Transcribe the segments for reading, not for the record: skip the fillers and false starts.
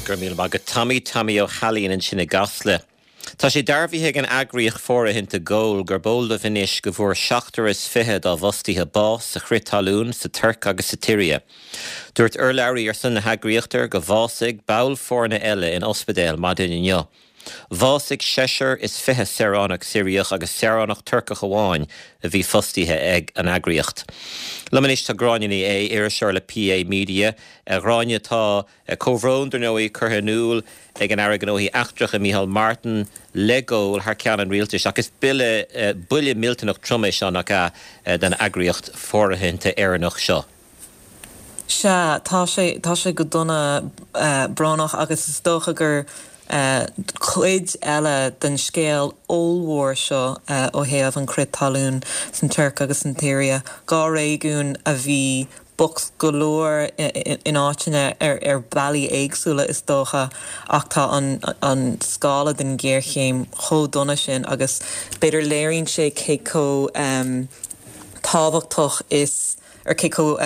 Go raibh míle maith agat Tommy, Tommy Ó hAilín ansin i gCasla. Tá sé dearbhaithe ag an eagraíocht fóirithinte Goal gurb eol dóibh anois go bhfuair seachtar is 20 dá bhfostaithe bás sa chrith talún sa Tuirc agus sa tSiria. Dúirt urlabhraí ar son na heagraíochta gur bhásaigh ball foirne eile in ospidéal maidin inniu. Bhásaigh seisear is 20 saoránach Siriach agus saoránach Turcach amháin a bhí fostaithe ag an eagraíocht. Liom anois tá Gráinne Ní Aodha, iriseoir le PA Media. A Ghráinne, tá comhbhrón, dar ndóigh, curtha in iúl ag an Aire Gnóthaí Eachtracha Micheál Martin le Goal thar ceann an rialtais ach is buille, buille millteanach trom é seo, nach ea, don eagraíocht fóirithinte Éireannach seo? Sea, tá sé, tá sé go dona brónach agus is dócha gur cuid eile den scéal ollmhór seo ó thaobh an crith talún san Tuirc agus san tSiria, 2 réigiún a bhí bocht go leor in áiteanna ar bhealaí éagsúla is dócha ach tá an scála den ghéarchéim chomh dona sin agus b'fhéidir léiríonn sé cé chomh tábhachtach is ar cé chomh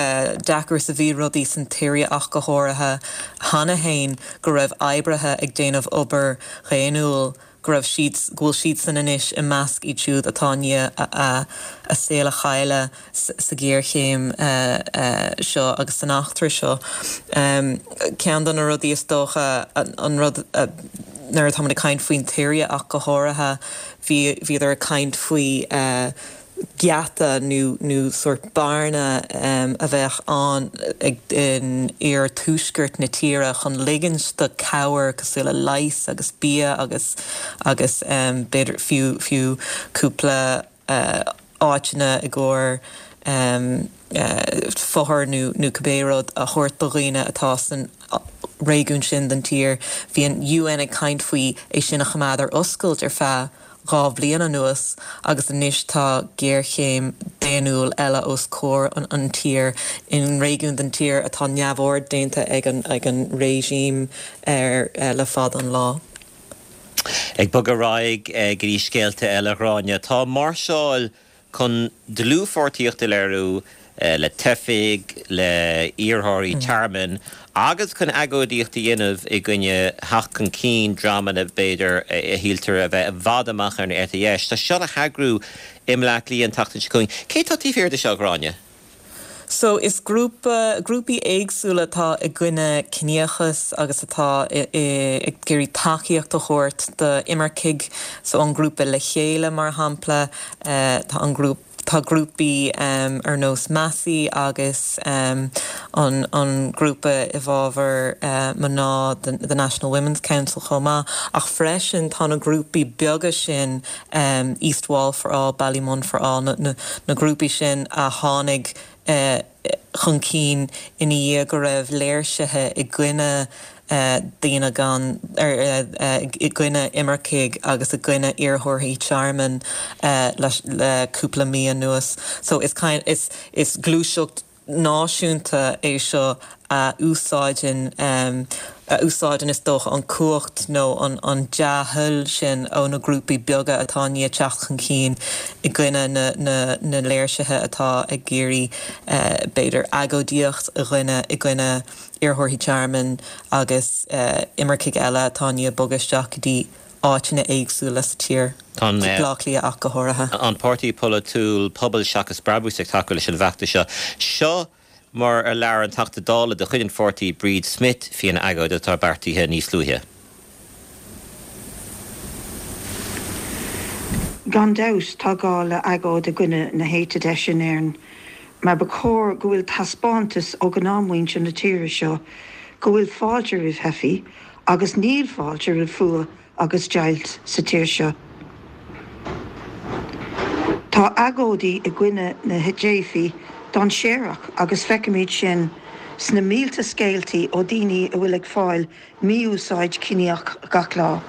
deacair is a bhí rudaí san tSiria ach go háirithe cheana féin, go raibh oibrithe ag déanamh obair dhaonnúil, go raibh siad, go bhfuil siadsan anois i measc iad siúd atá i ndiaidh a saol a chailleadh sa ghéarchéim seo agus san eachtra seo. Ceann de na rudaí is dócha, an rud nuair atáimid ag caint faoin tSiria ach go háirithe, bhí, bhíodar ag caint faoi, geata nó nó sórt bearna a bheadh ann in iarthuaisceart na tíre chun ligint do cabhair cosúil le leigheas agus bia agus agus b'fhéidir fiú fiú cúpla áiteanna i gcomhair fothair nó nó cibé rud a thabhairt do dhaoine atá san réigiún sin den tír. Bhí an UN ag caint faoi é sin a choimeád ar oscailt ar feadh 2 bhliain anuas agus anois tá géarchéim daonnúil eile os comhair an tír in réigiún den tír atá neamhaird déanta ag an ag an regime air le fada an lá. Ag bogadh ar aghaidh go dtí scéalta eile, a Ghráinne, tá máirseáil chun dlúthpháirtíocht a léiriú le teifigh, le hiarrthóirí tearmainn agus chun agóidíocht a dhéanamh i gcoinne theacht chun cinn dreamanna, b'fhéidir, a shíltear a bheith i bhfad amach ar an eite dheis. Tá seo le heagrú i mBleá Cliath an tseachtain seo chugainn. Cé atá taobh thiar de seo, a Ghráinne? So is grúpa, grúpaí éagsúla atá i gcoinne ciníochas agus atá ag iarraidh tacaíocht a thabhairt d'imircigh. So an grúpa Le Chéile mar shampla, tá an grúpa, tá grúpaí ar nós Masi agus an an grúpa i bhfabhar mná, the National Women's Council chomh maith. Ach freisin tá na grúpaí beaga sin East Wall for All, Ballymun for All, na grúpaí sin a tháinig chun cinn ina dhiaidh go raibh léirsithe i gcoinne daoine gan, i gcoinne imircigh agus i gcoinne iarrthóirí tearmainn le cúpla mí anuas. So is is gluaiseacht náisiúnta é seo a úsáideann, a úsáideann is dócha an cumhacht nó an dea-thoil sin ó na grúpaí beaga atá i ndiaidh teacht chun cinn i gcoinne na léirsithe atá ag iarraidh b'fhéidir agóidíocht a dhéanamh i gcoinne iarrthóirí tearmainn agus imircigh eile atá i ndiaidh bogadh isteach go dtí áiteanna éagsúla sa tír, Tá Baile Átha Cliath ach go háirithe. An páirtí polaitiúil Pobal Seachas Brabús ag tacú leis an bhfeachtas seo. Seo mar a labhair an Teachta Dála de chuid an pháirtí Bríd Smith faoin agóid atá beartaithe níos luaithe. Gan dabht tá gá le agóid i gcoinne na héite deise in Éirinn mar ba chóir go bhfuil taispeántas ó ghnáthmhuintir na tíre seo go bhfuil fáilte roimh theifigh agus níl fáilte roimh fuath agus deighilt sa tír seo. Tá agóidí i gcoinne na dteifigh dainséarach agus feicimid sin sna mílte scéaltaí ó daoine a bhfuil ag fáil mí-úsáid ciníoch gach lá.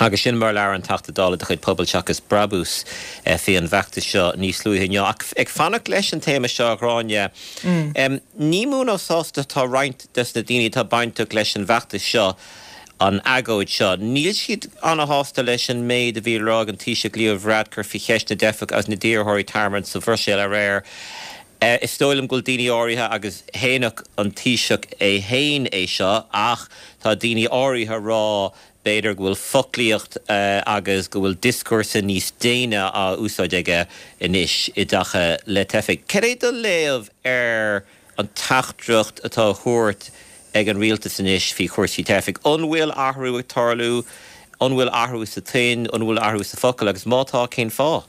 Agus sin mar a labhair an Teachta Dála de chuid Pobal Seachas Brabús faoi an bhfeachtas seo níos luaithe inniu. Ach ag fanacht leis an téama seo, a Ghráinne, ní mó ná sásta atá roinnt des na daoine atá bainteach leis an bhfeachtas seo, an agóid seo. Níl siad ana-shásta leis an méid a bhí le rá ag an Taoiseach Leo Varadkar faoi cheist na dteifeach agus na d'iarrthóirí tearmainn sa Bhruiséil aréir. Is dóigh liom go bhfuil daoine áirithe, agus shéanfadh an Taoiseach é fhéin é seo, ach tá daoine áirithe a rá b'fhéidir go bhfuil foclaíocht agus go bhfuil dioscúrsa níos déine á úsáid aige anois i dtaca le teifigh. Cad é do léamh ar an teachtaireacht atá á thabhairt ag an rialtas anois faoi chúrsaí teifigh? An bhfuil athrú ag tarlú? An bhfuil athrú sa tuin? An bhfuil athrú sa focal? Agus má tá, cén fáth?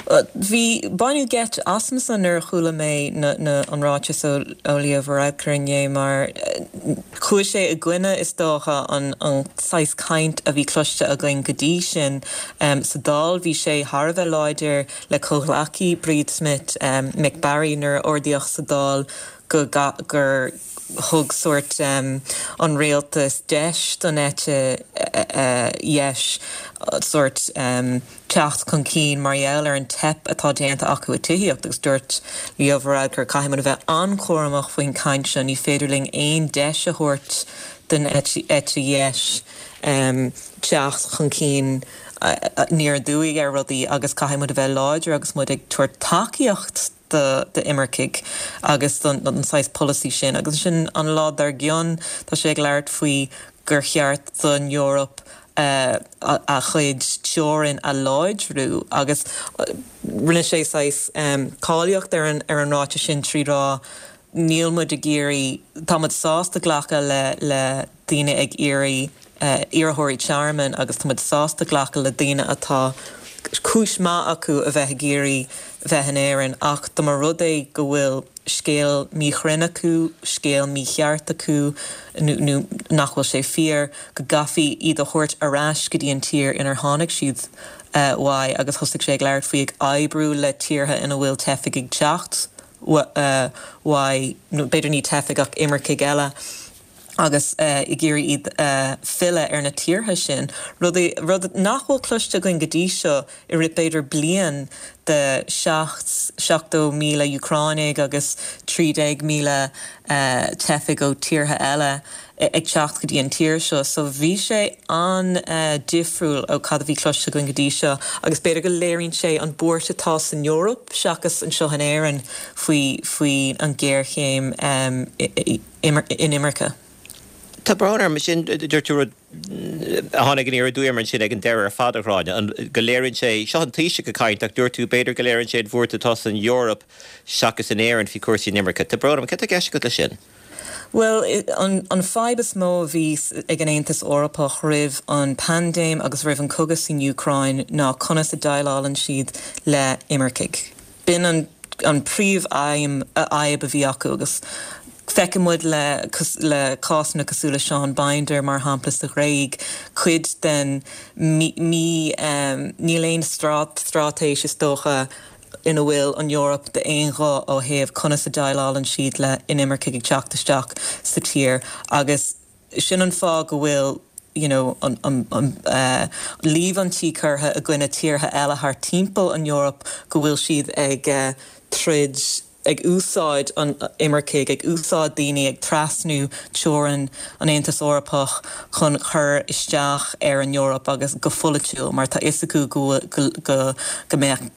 Bhí, baineadh geit asamsa nuair a chuala mé na, na, an ráiteas ó, ó Leo Varadkar inné mar chuaigh sé i gcoinne, is dócha, an, an saghas caint a bhí cloiste againn go dtí sin. Sa Dáil bhí sé thar a bheith láidir le comhghleacaí Bríd Smith, Mick Barry, nuair a ardaíodh sa Dáil go, gur thug sórt an rialtas deis don eite dheis sórt teacht chun cinn mar gheall ar an teip atá déanta acu i tithíocht agus dúirt Leo Varadkar caithfidh muid a bheith an-chúramach faoin chaint seo, ní féidir linn aon deis a thabhairt don eite dheis teacht chun cinn aniar aduaidh ar rudaí agus caithfidh muid a bheith láidir agus muid ag tabhairt tacaíocht d'imircigh agus don saghas polasaí sin. Agus ansin an lá dár gcionn tá sé ag labhairt faoi gur cheart don Eoraip a chuid teorann a láidriú agus rinne sé saghas cáilíocht ar an ráiteas sin trí rá níl muid ag iarraidh, tá muid sásta glacadh le le daoine ag iarraidh iarrthóirí tearmainn agus tá muid sásta glacadh le daoine atá cúis maith acu a bheith ag iarraidh bheith in Éirinn ach dá mba rud é go bhfuil scéal míchruinn acu, scéal mícheart acu nó nó nach bhfuil sé fíor, go gcaithfí iad a thabhairt ar ais go dtí an tír inar tháinig siad uaidh agus thosaigh sé ag labhairt faoi ag oibriú le tíortha ina bhfuil teifigh ag teacht uaidh, nó b'fhéidir ní teifigh ach imircigh eile, agus ag iarraidh iad a filleadh ar na tíortha sin, rud, rud nach bhfuil cloiste againn go dtí seo i rith b'fhéidir bliain de 70,000 Úcránaigh agus 13,000 teifigh ó tíortha eile ag teacht go dtí an tír seo. So bhí sé an-difriúil ó cad a bhí cloiste againn go dtí seo agus b'fhéidir go léiríonn sé an buairt atá san Eoraip seachas anseo in Éirinn faoi faoi an ghéarchéim inimirce. Tá brón orm, sin, dúirt tú rud a tháinig aniar aduaidh orm ansin ag an deireadh ar fad, a Ghráinne, an, go léiríonn sé, seo an Taoiseach ag caint ach dúirt tú b'fhéidir go léiríonn sé an bhuairt atá san Eoraip seachas in Éirinn faoi chúrsaí inimirce. Tá brón orm, cad tá i gceist agat leis sin? Bhuel, an fadhb is mó a bhí ag an Aontas Eorpach roimh an paindéim agus roimh an cogadh san Úcráin ná conas a déileálann siad le imircigh. B'in an an príomh-aidhm, fhadhb a bhí acu agus feiceann muid le le cásanna cosúil le Sean Binder mar shampla sa Ghréig, cuid den mí, níl aon straitéis is dócha ina bhfuil an Eoraip d'aon ghuth ó thaobh conas a déileálann siad le inimircigh ag teacht isteach sa tír agus sin an fáth go bhfuil you know an an an líomhaintí curtha i gcoinne tíortha eile thart timpeall an Eoraip go bhfuil siad ag troid ag úsáid an imircigh, ag úsáid daoine ag trasnú teorainn an Aontais Eorpach chun cur isteach ar an Eoraip agus go pholaitiúil mar tá fhios acu go go go mbeadh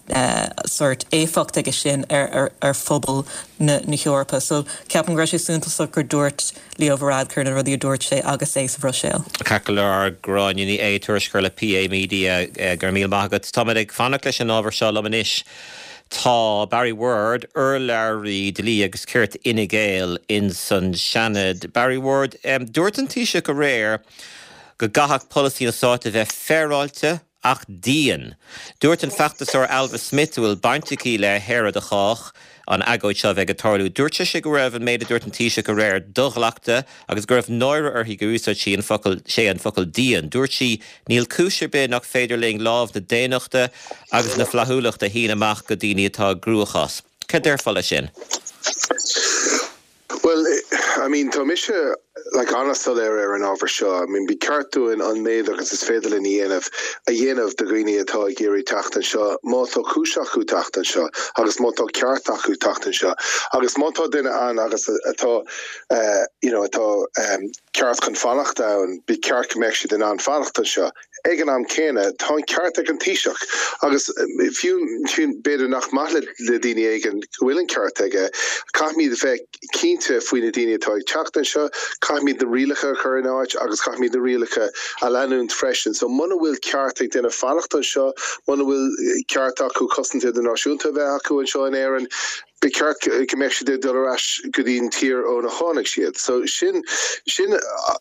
sórt éifeacht aige sin ar ar phobal na na hEorpa. So ceapaim go raibh sé suntasach gur dúirt Leo Varadkar na rudaí a dúirt sé agus é sa Bhruiséil. Ceart go leor, Gráinne Ní Aodha, tuairisceoir le PA Media, go raibh míle maith agat. Táimid ag fanacht leis an ábhar seo liom anois. Tá Barry Ward, urlabhraí dlí agus cirt Fhine Gael ins an Seanad. Barry Ward, dúirt an Taoiseach aréir go gcaithfeadh polasaí an stáit a bheith féaráilte ach dian. Dúirt an feachtasóir Ailbhe Smyth, a bhfuil baint aici le hÉire do Chách, an agóid seo a bheidh ag tarlú, dúirt sise go raibh an méid a dúirt an Taoiseach aréir do-ghlactha agus go raibh náire uirthi gur úsáid sí an focal, sé an focal dian. Dúirt sí, Níl cúis ar bith nach féidir linn lámh na daonnachta agus na flaithiúlachta a shíneadh amach go daoine atá i gcruachás. Cad déarfá leis sin? Bhuel, I mean, tá mise like an-soiléir ar an ábhar seo. I mean, ba cheart dúinn an méid agus is féidir linn a dhéanamh, a dhéanamh do dhaoine atá ag iarraidh teacht anseo, má tá cúis acu teacht anseo agus má tá ceart acu teacht anseo agus má tá duine ann agus atá, you know, atá ceart chun fanacht ann, ba cheart go mbeadh siad in ann fanacht anseo. Ag an am céanna, tá an ceart ag an Taoiseach agus fiú b'fhéidir nach maith le daoine éigin go bhfuil an ceart aige, caithfimid bheith cinnte faoi na daoine atá ag teacht anseo, caithfimid na rialacha a chur in áit agus caithfimid na rialacha a leanúint freisin. So muna bhfuil ceart ag duine fanacht anseo, muna bhfuil ceart acu cosaint idirnáisiúnta a bheith acu anseo in Éirinn, ba cheart go mbeadh siad ag dul ar ais go dtí an tír óna tháinig siad. So sin, sin,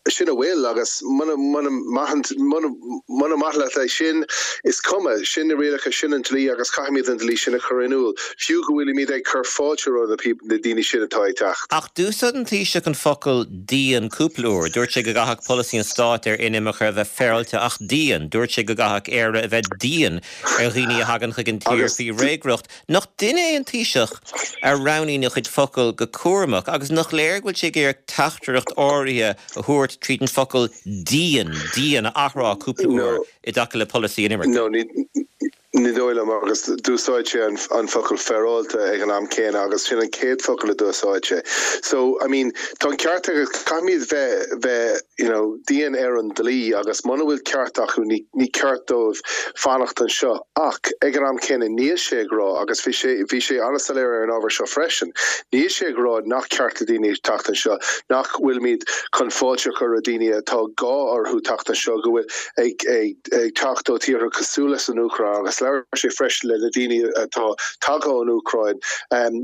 sin a bhfuil agus muna, muna maith, muna, muna maith leat é sin, is cuma, sin na rialacha, sin an dlí agus caithfimid an dlí sin a chur in iúl, fiú go bhfuilimid ag cur fáilte roimh na, na daoine sin atá ag teacht. Ach d'úsáid an Taoiseach an focal dian cúpla uair. Dúirt sé go gcaithfeadh polasaí an stáit ar inimirce a bheith féaráilte ach dian. Dúirt sé go gcaithfeadh Éire a bheith dian ar dhaoine a thagann chuig an tír faoi fhreagracht. Nach duine é an Taoiseach a roghnaíonn a chuid focal go cúramach agus nach léir go bhfuil sé ag iarraidh teachtaireacht áirithe a thabhairt tríd an focal dian, dian a athrá cúpla uair i dtaca le polasaí inimirce? No, ní dóigh liom agus d'úsáid sé an focal féaráilte ag an am céanna agus sin an chéad focal a d'úsáid sé. So, I mean, tá an ceart aige, caithfimid bheith, bheith, you know, dian ar an dlí agus muna bhfuil ceart acu ní, ní ceart dóibh fanacht anseo. Ach ag an am céanna níl sé ag rá, agus bhí sé, bhí sé an-soiléir ar an ábhar seo freisin, níl sé ag rá nach ceart le daoine teacht anseo, nach bhfuilimid chun fáilte a chur roimh daoine atá gá orthu teacht anseo, go bhfuil ag, ag, ag teacht ó tíortha cosúil leis an Úcráin agus labhair sé freisin le na daoine atá tagtha ón Úcráin,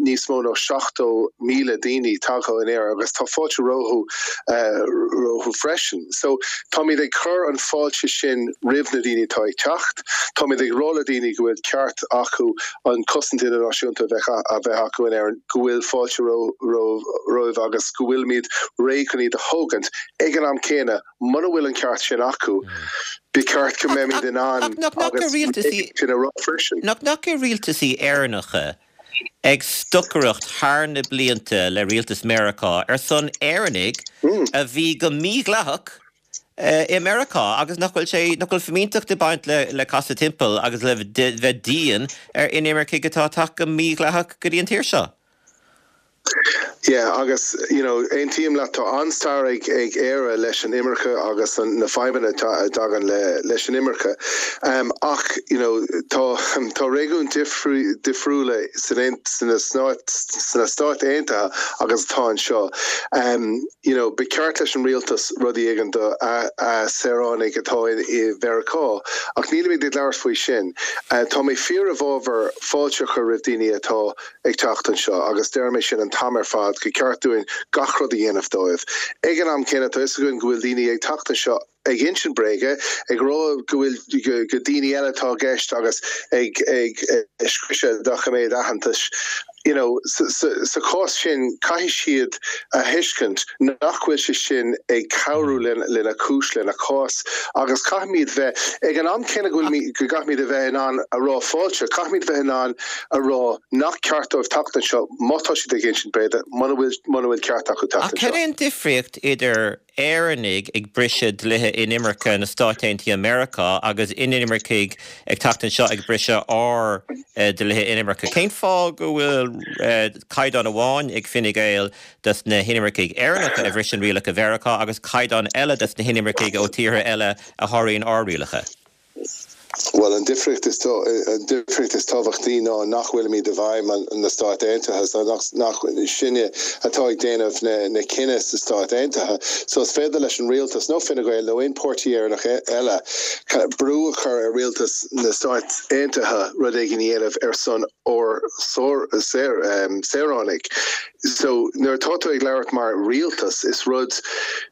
níos mó ná 70,000 daoine tagtha in Éirinn agus tá fáilte rompu, rompu freisin. So táimid ag cur an fáilte sin roimh na daoine atá ag teacht. Táimid ag rá le daoine go bhfuil ceart acu an cosaint idirnáisiúnta a bheith a bheith acu in Éirinn, go bhfuil fáilte romhaibh agus go bhfuilimid réidh chun iad a thógaint. Ag an am céanna, muna bhfuil an ceart sin acu, ba cheart go mbeimid in ann agus sin a rá freisin. Nach ndeachaigh rialtaisí Éireannacha ag stocaireacht thar na blianta le rialtas Meiriceá ar son Éireannaigh a bhí go mídhleathach i Meiriceá agus nach bhfuil sé, nach bhfuil fimínteacht ag baint le le casadh timpeall agus le bheith dian ar inimircigh atá ag teacht go mídhleathach go dtí an tír seo. Yeah agus you know aontaím leat tá an-stair ag ag Éire leis an imirce agus an na fadhbanna a dtagann le leis an imirce ach you know tá tá réigiúin difriúla san sna sna Stáit Aontaithe agus atá anseo you know ba cheart leis an rialtas rudaí éigin do a a saoránaigh atá i i Mheiriceá ach nílimid ag labhairt faoi sin. Tá mé fíor i bhfabhar fáilte a chur roimh daoine atá ag teacht anseo agus deirim é sin an t-am ar fad, go ceart dúinn gach rud a dhéanamh dóibh. Ag an am céanna, tá fhios againn go bhfuil daoine ag teacht anseo ag insint bréige, ag rá go bhfuil go daoine eile atá i gceist agus ag ag scriosadh doiciméad aitheantais. You know, sa sa sa chás sin, caithfidh siad a thuiscint nach bhfuil sé sin ag cabhrú lena cúis, lena cás agus caithfimid bheith, ag an am céanna go bhfuil, go gcaithfimid a bheith in ann a rá fáilte, caithfimid bheith in ann a rá nach ceart dóibh teacht anseo má tá siad ag insint bréide, muna bhfuil, muna bhfuil ceart acu teacht Ach cad anseo. é an difríocht idir Éireannaigh ag briseadh dlíthe inimirce na Stáit Aontaithe Meiriceá agus inimircigh ag teacht anseo ag briseadh ár dlíthe inimirce? Cén fáth go bhfuil caighdeán amháin ag Fine Gael dos na hinimircigh Éireannacha a bhriseann rialacha Mheiriceá agus caighdeán eile dos na hinimircigh ó tíortha eile a sháraíonn ár rialacha? Bhuel, an difríocht is an difríocht is tábhachtaí ná nach bhfuilimid i bhfeidhm na Stáit Aontaithe, so nach nach sinne atá ag déanamh na na cinneadh sa Stáit Aontaithe. So is féidir leis an rialtas, nó Fine Gael nó aon páirtí Éireannach eile, brú a chur ar rialtas na Stáit Aontaithe rud éigin a dhéanamh ar son ár saoránaigh. So nuair atá tú ag labhairt mar rialtas, is rud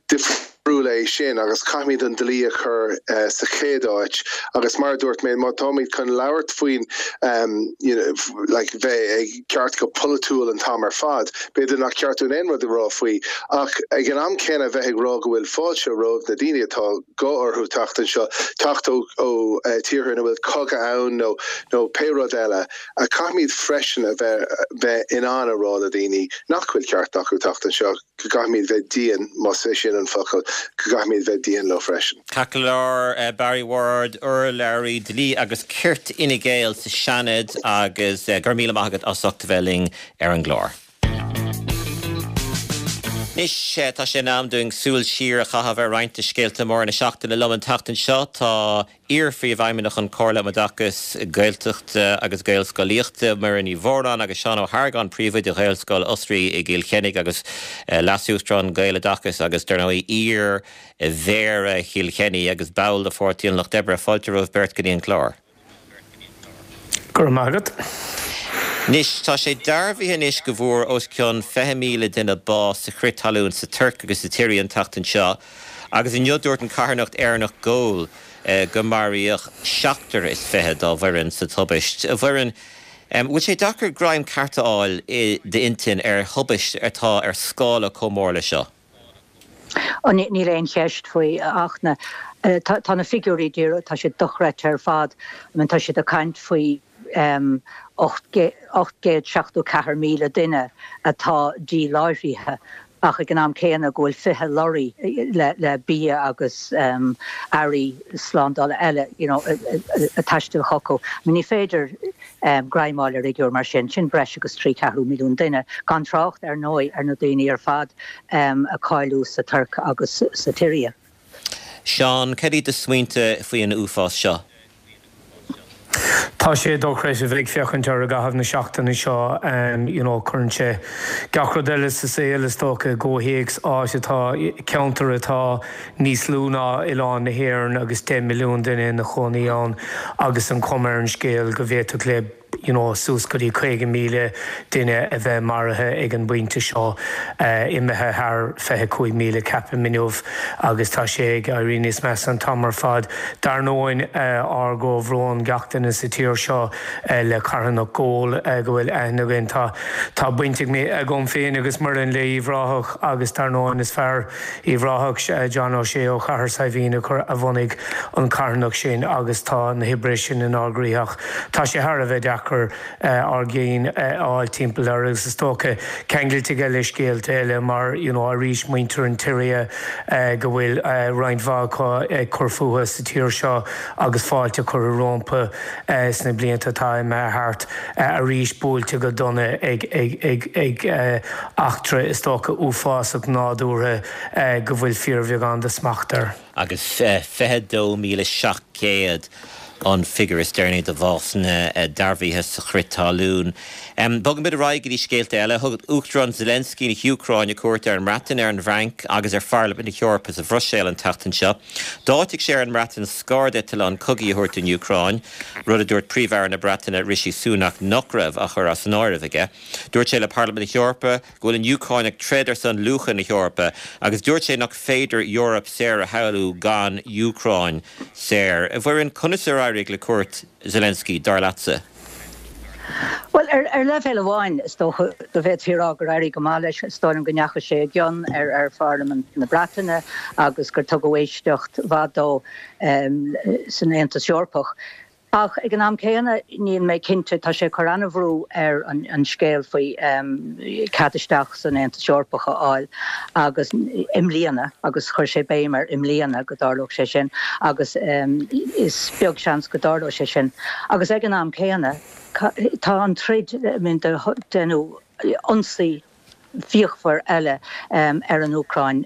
difriúil é sin agus caithfimid an dlí a chur sa chéad áit agus mar a dúirt mé, má táimid chun labhairt faoin you know like bheith ag ceart go polaitiúil an t-am ar fad, b'fhéidir nach ceart dúinn aon rud a rá faoi ach ag an am céanna bheith ag rá go bhfuil fáilte roimh na daoine atá gá orthu teacht anseo, teacht ó ó tíortha ina bhfuil cogadh ann nó nó pé rud eile. Caithfimid freisin a bheith bheith in ann a rá le daoine nach bhfuil ceart acu teacht anseo. go gcaithfimid bheith dian, más é sin an focal, go gcaithfimid bheith dian leo freisin. Ceart go leor, Barry Ward, urlabhraí dlí agus cirt Fhine Gael sa Seanad agus go raibh míle maith agat as ucht a bheith linn ar an gclár. Anois, tá sé in am dúinn súil siar a chaitheamh ar roinnt de scéalta móra na seachtaine. Liom an tseachtain seo tá iar-Phríomhfheidhmeannach an Chomhairle um Oideachas Gaeltachta agus Gaelscolaíochta, Muireann Ní Mhóráin, agus Seán Ó hArgáin, Príomhoide Ghaelscoil Osraí i gCill Chainnigh agus Leas-Uachtarán Gaeloideachas agus, dar ndóigh, iar-Mhéara Chill Chainnigh agus ball de Pháirtí an Lucht Oibre. Fáilte romhaibh beirt go dtí an clár. Go raibh maith agat. Anois, tá sé dearbhaithe anois go bhfuair os cionn 20,000 duine bás sa chrith talún sa Tuirc agus sa tSiria an tseachtain seo, agus inniu dúirt an carthanacht Éireannach Goal go maraíodh seachtar is 20 dá bhfoireann sa tubaist. A Mhuireann, bhfuil sé deacair greim ceart a fháil i d'intinn ar thubaist atá ar scála chomh mór le seo? Níl aon cheist faoi ach na, tá na figiúirí díreach, tá siad dochreidte ar fad. I mean tá siad ag caint faoi 874,000 duine atá díláithrithe ach ag an am céanna go bhfuil 20 lorry le bia agus earraí slándála eile you know ag taisteal chucu. I mean ní féidir greim a fháil ar fhigiúr mar sin, sin breis agus trí cheathrú milliún duine, gan trácht ar ndóigh ar na daoine ar fad a cailleadh sa Tuirc agus sa tSiria. Seán, cad iad do smaointe faoi an uafás seo? Tá sé dochreidte bheith ag féachaint air i gcaitheamh na seachtaine seo, you know cuireann sé gach rud eile sa saol is dócha i gcomhthéacs, áit atá, ceantar atá níos lú ná oileán na hÉireann agus 10 milliún duine ina chónaí ann agus an chuma ar an scéal go bhféadfadh le you know suas go dtí 50,000 duine a bheith maraithe ag an bpointe seo, imithe thar 25,000 ceapaim inniu agus tá sé ag éirí níos measa an t-am ar fad. Dar ndóigh, ár gcomhbhrón gach duine sa tír seo le carthanacht Goal go bhfuil aithne againn. Tá tá baint agam féin agus Muireann le Uíbh Ráthach agus dar ndóigh is fear Uíbh Ráthach, John O'Shea ó Chathair Saidhbhín a bhunaigh an carthanacht sin agus tá na hoibrithe sin inár gcroíthe ach tá sé thar a bheith deacair ár gcinn a fháil timpeall air agus is dócha ceangailte aige le scéalta eile mar you know arís muintir an tSiria go bhfuil roinnt mhaith acu ag cur fúthu sa tír seo agus fáilte curtha rompu sna blianta atá imithe thart arís buailte go dona ag ag eachtra is dócha uafásach nádúrtha go bhfuil fíorbheagán de smacht air. Agus 22,700 an figiúr is deireanaí de bhásanna dearbhaithe sa chrith talún. Bogaimid ar aghaidh go dtí scéalta eile. Thug Uachtarán Zelensky na hÚcráine cuairt ar an mBreatain, ar an bhFrainc agus ar Pharlaimint na hEorpa sa Bhruiséil an tseachtain seo. D'áitigh sé ar an mBreatain scairdeitleáin cogaidh a thabhairt don Úcráin, rud a dúirt Príomh-Aire na Breataine Rishi Sunak nach raibh á chur as an áireamh aige. Dúirt sé le Parlaimint na hEorpa go bhfuil an Úcráin ag troid ar son luacha na hEorpa agus dúirt sé nach féidir Eoraip saor a shamhlú gan Úcráin saor. A Mhuireann, conas ar éirigh le cuairt Zelensky, dar leatsa? Bhuel, ar leibhéal amháin, is dócha go bhféadfaí a rá gur éirigh go maith leis. Is dóigh liom go ndeachaigh sé i gcion ar Pharlaimint na Breataine agus gur tugadh éisteacht mhaith dó san Aontas Eorpach. Ach ag an am céanna, níl mé cinnte, tá sé ag cur an-bhrú ar an scéal faoi cead isteach san Aontas Eorpach a fháil agus i mbliana, agus chuir sé béim ar i mbliana go dtarlódh sé sin agus is beag seans go dtarlóidh sé sin. Agus ag an am céanna, tá an troid, I mean, deineadh ionsaí fíochmhar eile ar an Úcráin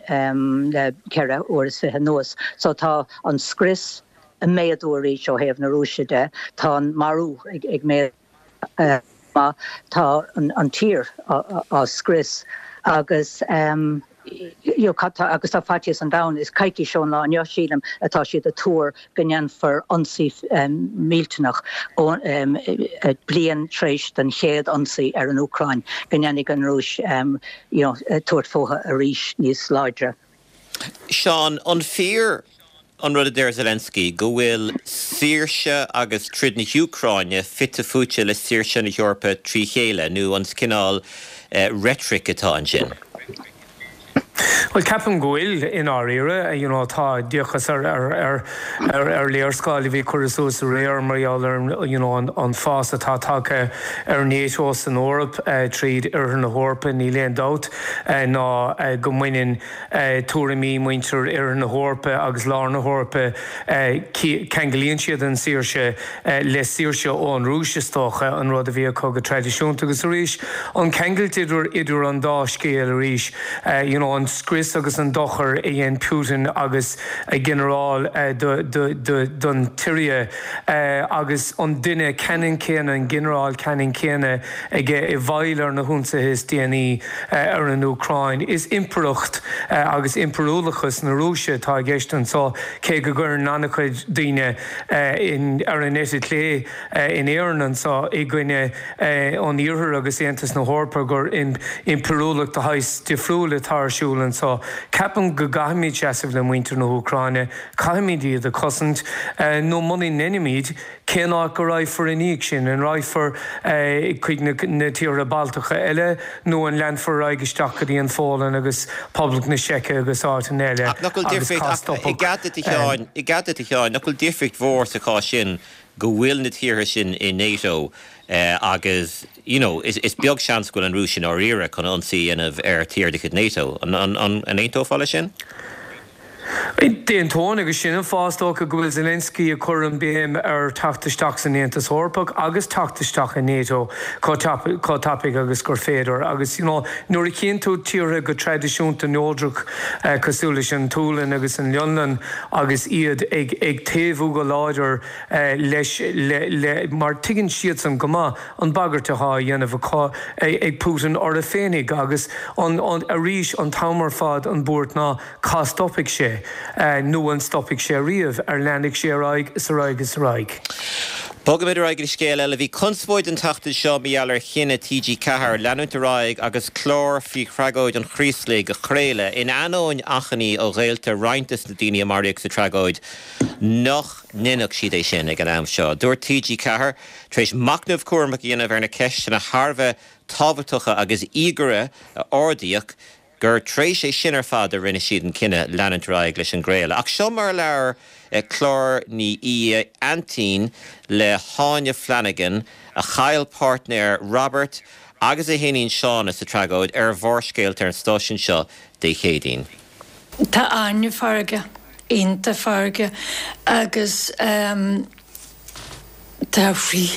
le 24 uair anuas. So tá an scrios ag méadú arís ó thaobh na Rúise de, tá an marú ag méadú maith, tá an tír á scrios agus you know agus tá faitíos an domhain, is coicís ón lá inniu sílim atá siad ag tuar go ndéanfar ionsaí millteanach bliain tar éis den chéad ionsaí ar an Úcráin, go ndéanfaidh an Rúis you know tabhairt fúthu arís níos láidre. Seán, an fíor an rud a deir Zelensky, go bhfuil saoirse agus troid na hÚcráine fite fuaite le saoirse na hEorpa trí chéile, nó an cineál reitric atá ansin? Bhuel, ceapaim go bhfuil, i ndáiríre. You know, tá, d'fhéachas ar, ar, ar, ar, ar léarscáil a bhí curtha suas aréir mar gheall ar an, you know, an, an fás atá tagtha ar NATO san Eoraip, tríd Oirthear na hEorpa. Níl aon dabht ná go mbaineann tuairimí muintir Oirthear na hEorpa agus Lár na hEorpa, ceanglaíonn siad an saoirse le saoirse ón Rúis, is dócha, an rud a bhí acu go traidisiúnta. Agus arís, an ceangailt idir idir an dá scéal arís, you know, an scrios agus an dochar a dhein Putin agus a ghinearál do do do don tSiria agus an duine ceannann céanna, an ginearál ceannann céanna aige i bhfeighil ar na hionsaithe is déanaí ar an Úcráin. Is impireacht agus impiriúlachas na Rúise atá i gceist anseo, cé go gcuireann an-chuid daoine ar an eite chlé in Éirinn anseo i gcoinne an Iarthair agus Aontas na hEorpa gur impiriúlacht de shaghas difriúil atá ar siúl anseo. Ceapaim go gcaithfimid seasamh le muintir na hÚcráine, caithfimid iad a chosaint, nó muna ndeinimid, cén áit go raghfar i ndiaidh sin? An raghfar chuig na tíortha Baltacha eile nó an leanfar ar aghaidh isteach go dtí an Pholainn agus Poblacht na Seice agus áiteanna eile Ach nach bhfuil agus difríocht, cá ach i stopfadh gcead duit a Sheáin, i gcead duit a Sheáin, nach bhfuil difríocht mhór sa chás sin go bhfuil na tíortha sin i NATO agus you know is is beag seans go bhfuil an Rúis i ndáiríre chun ionsaí a dhéanamh ar tír de chuid NATO. An an an aontófá leis sin? D'aontóinn, agus sin an fáth, is dócha, go bhfuil Zelensky ag cur an béim ar theacht isteach san Aontas Eorpach agus teacht isteach i NATO chomh tapaidh agus gur féidir. Agus, you know, nuair a chíonn tú tíortha go traidisiúnta neodrach cosúil leis an tSualainn agus an Fhionlainn agus iad ag ag taobhú go láidir leis le le mar tuigeann siadsan go maith an bagairt atá á dhéanamh acu ag Putin orthu féinig agus an an arís an t-am ar fad an buairt ná Cá stopfaidh sé? Nó an stopfaidh sé riamh? Ar leanfaidh sé ar aghaidh is ar aghaidh is ar aghaidh? Bogaimid ar aghaidh go dtí scéal eile. Bhí conspóid an tseachtain seo mar gheall ar chinneadh TG4 leanúint ar aghaidh agus clár faoi thragóid an Chraoslaigh a chraoladh, in ainneoin achainí ó ghaolta roinnt des na daoine a maraíodh sa tragóid nach ndéanfadh siad é sin ag an am seo. Dúirt TG4, tar éis machnamh cúramach a dhéanamh ar na ceisteanna thar a bheith tábhachtacha agus íogaire a ardaíodh, gur tar éis é sin ar fad a rinne siad an cinneadh leanúint ar aghaidh leis an gcraoladh. Ach seo mar a labhair Clár Ní Aodha Aintín le hÁine Flanagan, a chaill páirtnéir Robert agus a hiníon Shauna sa tragóid, ar Bharrscéalta ar an stáisiún seo Dé Céadaoin. Tá Áine feargach, iontach feargach agus tá a croí,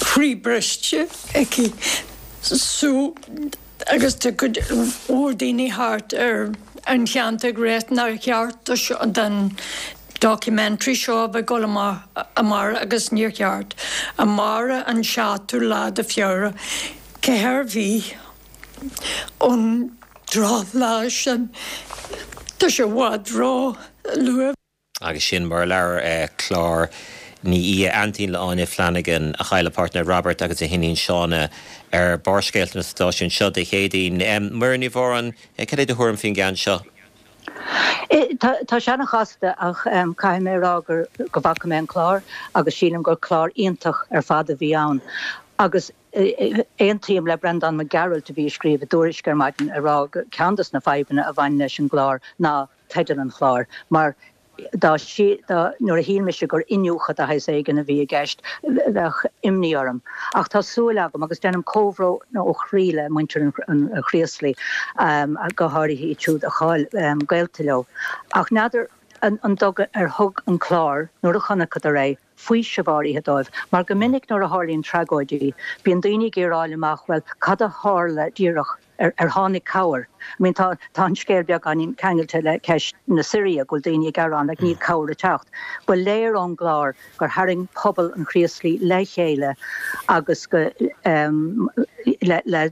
croí briste aici so agus tá cuid mhór daoine thart ar an cheantar ag rá nár cheart do seo don documentary seo a bheith ag dul amach amárach agus níor cheart. Amárach an seachtú lá de Feabhra cé ar bhí an drochlá sin tá sé i bhfad ró luath. Agus sin mar a labhair Clár Ní Aodha, aintín le Áine Flanagan, a chaill a páirtnéir Robert agus a hiníon Shauna, ar Barrscéalta an stáisiúin seo Dé Céadaoin. Muireann Ní Mhóráin, cad é do thuairim faoin gceann seo? Tá sé an-chasta ach caithfidh mé a rá gur go bhfaca mé an clár agus sílim gur clár iontach ar fad a bhí ann agus aontaím le Breandán Mac Gearailt a bhí ag scríobh i dTuairisc ar maidin ag rá gur ceann dos na fadhbanna a bhain leis an gclár ná teideal an chláir, mar dá dá nuair a shíl mise gur iniúchadh de shaghas éigin a bhí i gceist, bheadh imní orm. Ach tá súil agam, agus déanaim comhbhrón ó chroí le muintir an Chraoslaigh, go háirithe iad siúd a chaill gaolta leo. Ach n'fheadar an dtug ar thug an clár, nuair a chonaiceadar é, faoiseamh áirithe dóibh, mar go minic nuair a tharlaíonn tragóidí, bíonn daoine ag iarraidh a fháil amach, bhuel, cad a tharla díreach, ar, ar tháinig cabhair? I mean, tá, tá an scéal beagáinín ceangailte le ceist na Siria, go bhfuil daoine ag gearán, like, níl cabhair ag teacht. Ba léir ón gclár gur tharraing pobal an Chraoslaigh le chéile agus go, em, le, le,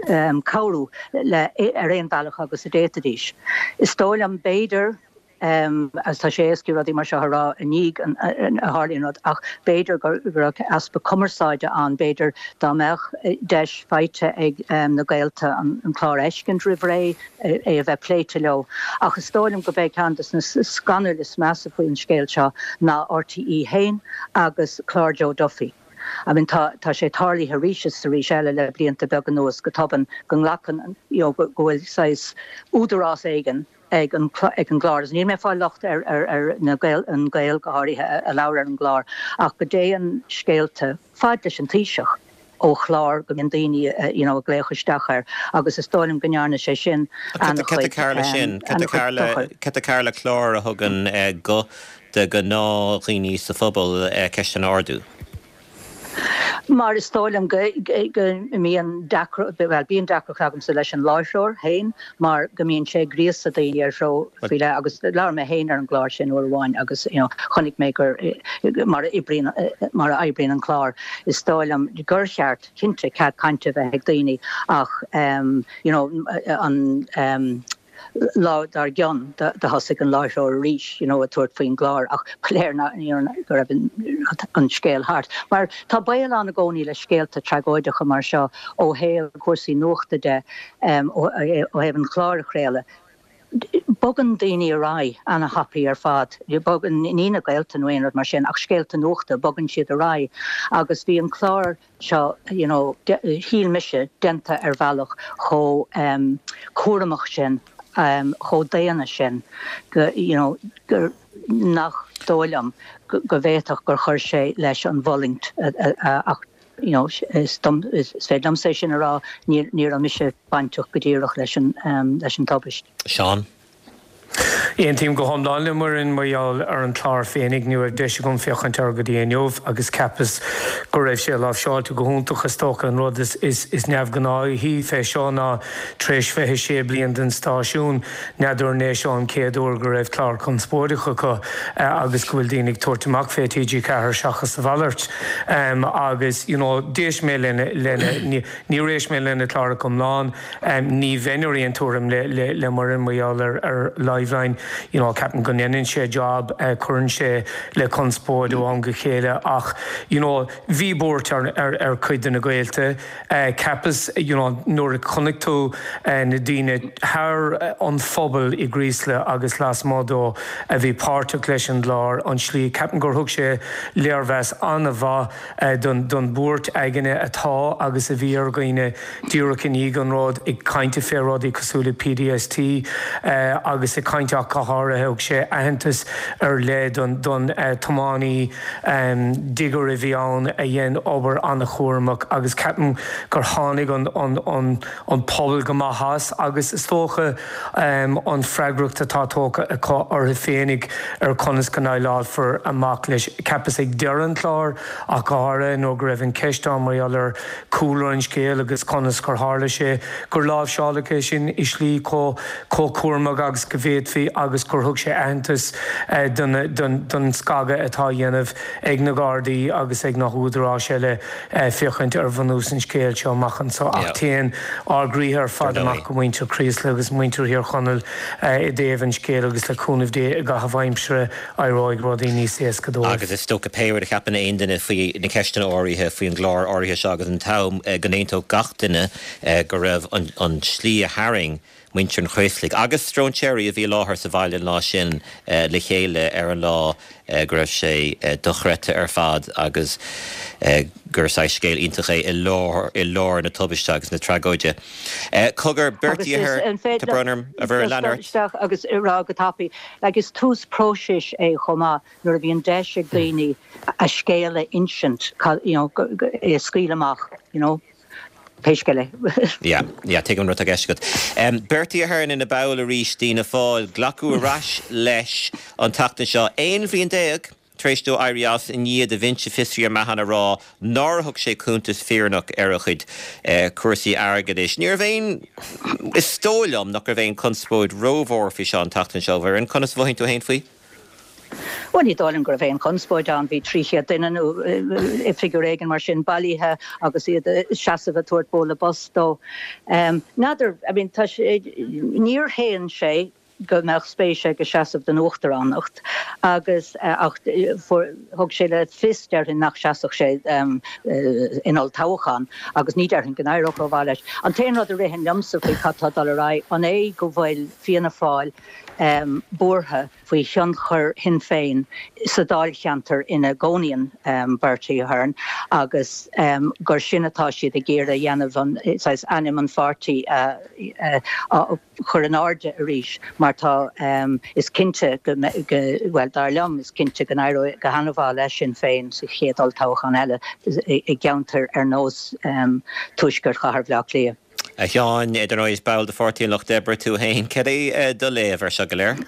em, cabhrú le, ar aon bhealach agus a d'fhéadfaidís. Is dóigh liom, b'fhéidir, Agus tá sé éasca rudaí mar seo a rá i ndiaidh a tharlaíonn rud, ach b'fhéidir go raibh easpa cumarsáide ann, b'fhéidir dá mbeadh deis faighte ag na gaolta an clár a fheiscint roimh ré, é a bheith pléite leo. Ach is dóigh liom gurb é ceann de na scannail is measa faoin scéal seo ná RTÉ féin agus clár Joe Duffy. I mean tá tá sé tarlaithe arís is arís eile le blianta beaga anuas go tobann go nglacann you know go go bhfuil saghas údarás éigin ag an ag an gclár agus níl mé ag fáil locht ar ar ar na Gael an Gael go háirithe a a labhair ar an gclár ach go dtéann scéalta fad leis an Taoiseach ó chlár go mbíonn daoine you know ag glaoch isteach air agus is dóigh liom go ndearna sé sin an-chuid an-chuid dochair. Cad tá cearr le clár a thugann guth do ghnáthdhaoine sa phobal ceisteanna a ardú? Mar is dóigh liom go mbíonn deacracht, bhuel bíonn deacracht agamsa leis an láithreoir féin mar go mbíonn sé ag gríosadh daoine ar threo faoi leith agus labhair mé féin ar an gclár sin uair amháin agus you know chonaic mé gur mar a oibríonn mar a oibríonn an clár is dóigh liom gur cheart cinnte cead cainte a bheith ag daoine ach you know an lá dár gcionn do thosaigh an láithreoir arís you know ag tabhairt faoin gclár ach ba léir you know go raibh an scéal thart. Mar tá baol ann i gcónaí le scéalta tragóideacha mar seo ó thaobh cúrsaí nuachta de, ó thaobh an chláir a chraoladh. Bogann daoine ar aghaidh ana-thapaidh ar fad, bogann, ní na gaolta nó aon rud mar sin ach scéalta nuachta, bogann siad ar aghaidh agus bhí an clár seo, you know, shíl mise, déanta ar bhealach chomh cúramach sin, chomh daonna sin go, you know, gur, nach dóigh liom go bhféadfadh gur chuir sé leis an bhfulaingt ach, you know, is is féidir liomsa é sin a rá, ní ní raibh mise bainteach go díreach leis an leis an tubaist. Seán. Aontaím go hiomlán le Muireann mar gheall ar an chlár féinig. Ní raibh deis agam féachaint air go dtí inniu agus cheapas go raibh sé láimhseáilte go hiontach. Is dócha an rud is is neamhghnáithí fé seo ná tar éis 26 bliain den stáisiún, N'fheadar an é seo an chéad uair go raibh clár conspóideach acu agus go bhfuil daoine ag tabhairt amach fé TG4 seachas a mhalairt agus you know d'éist mé lena lena níor éist mé lena chlár iomlán ní bheinn ar aon tuairim le le le Muireann mar gheall ar ar Liveline you know ceapaim go ndéanann sé job cuireann sé le conspóid ó am go chéile ach you know bhí buairt ar ar ar cuid de na gaolta Cheapas, you know, nuair a chonaic tú na daoine thar an phobal i gCraoslaigh agus lasmuigh dó a bhí páirteach leis an gclár, an tslí, ceapaim gur thug sé léirmheas an-mhaith don don bhuairt aigne atá agus a bhí ar dhaoine díreach i ndiaidh an rud, ag caint fé rudaí cosúil le PTSD agus ag caint ach go háirithe thug sé aitheantas ar leith don don tiománaí digger a bhí ann a dhein obair an-chúramach agus ceapaim gur tháinig an pobal go maith as agus is dócha an freagracht atá tógtha acu orthu féinig ar conas go ndéileálfar amach leis. Cheapas ag deireadh an chláir ach go háirithe nuair go raibh an cheist ann mar gheall ar chúlra an scéil agus conas gur tharla sé gur láimhseáladh é sin i slí chomh cúramach agus go bhféadfaí agus gur thug sé aitheantas don scagadh atá á dhéanamh ag na Gardaí agus ag na húdaráis eile féachaint ar bhunús an scéil seo amach anseo. Ach téann ár gcroíthe ar fad amach go muintir Chraoslaigh agus muintir Thír Chonaill i dtaobh an scéil agus le cúnamh Dé i gcaitheamh aimsire éireoidh rudaí níos éasca dóibh. Agus is dócha pé rud a cheapann aon duine faoi na ceisteanna áirithe faoi an gclár áirithe seo agus an t-am go n-aontódh gach duine go raibh an tslí a tharraing muintir an Chraoslaigh agus stróinséirí a bhí i láthair sa bhaile an lá sin le chéile ar an lá go raibh sé dochreidte ar fad agus gur saghas scéal iontach é i lár i lár na tubaiste agus na tragóide. Cogar, Bertie Ahern, tá brón orm, a Mhuireann, lean ort. Isteach agus rá go tapaidh, like is tús próisis é chomh maith nuair a bhíonn deis ag daoine a scéal a insint, you know, é a scaoileadh amach, you know, pé scéal é. Yeah, yeah, tuigim an rud atá i gceist agat. Bertie Ahern ina ball arís d'Fhianna Fáil, glacadh ar ais leis an tseachtain seo, 11 bhliain tar éis dó éirí as i ndiaidh do bhinse fiosraithe Mahon a rá nár thug sé cuntas fírinneach ar a chuid cúrsaí airgeadais. Ní raibh aon, is dóigh liom nach raibh aon chonspóid rómhór faoi seo an tseachtain seo, a Mhuireann. Conas a mhothaíonn tú féin faoi? Bhuel, ní dóigh liom go raibh aon chonspóid ann. Bhí 300 duine nó figiúr éigin mar sin bailithe agus iad ag seasamh ag tabhairt bualadh bos dó. N'fheadar, I mean, tá sé, níor shéan sé. go mbeadh spéis aige seasamh don uachtaránacht agus ach thug sé le fios, déarfainn, nach seasfadh sé in olltoghchán agus ní déarfainn go n-éireodh rómhaith leis. An t-aon rud a ritheann liomsa faoi cad tá ag dul ar aghaidh, an é go bhfuil Fianna Fáil buartha faoi thionchar Shinn Féin sa dáilcheantar ina gcónaíonn Bertie Ahern agus gur sin atá siad ag iarraidh a dhéanamh, an saghas ainm an pháirtí a chur in airde arís mar tá, is cinnte go, bhuel, dar liom, is cinnte go n-éireoidh go han-mhaith le Sinn Féin sa chéad olltoghchán eile i gceantair ar nós tuaisceart chathair Bhaile Átha Cliath. A Sheáin, dar ndóigh is ball de Pháirtí an Lucht Oibre tú féin. Cad é do léamh ar seo go léir?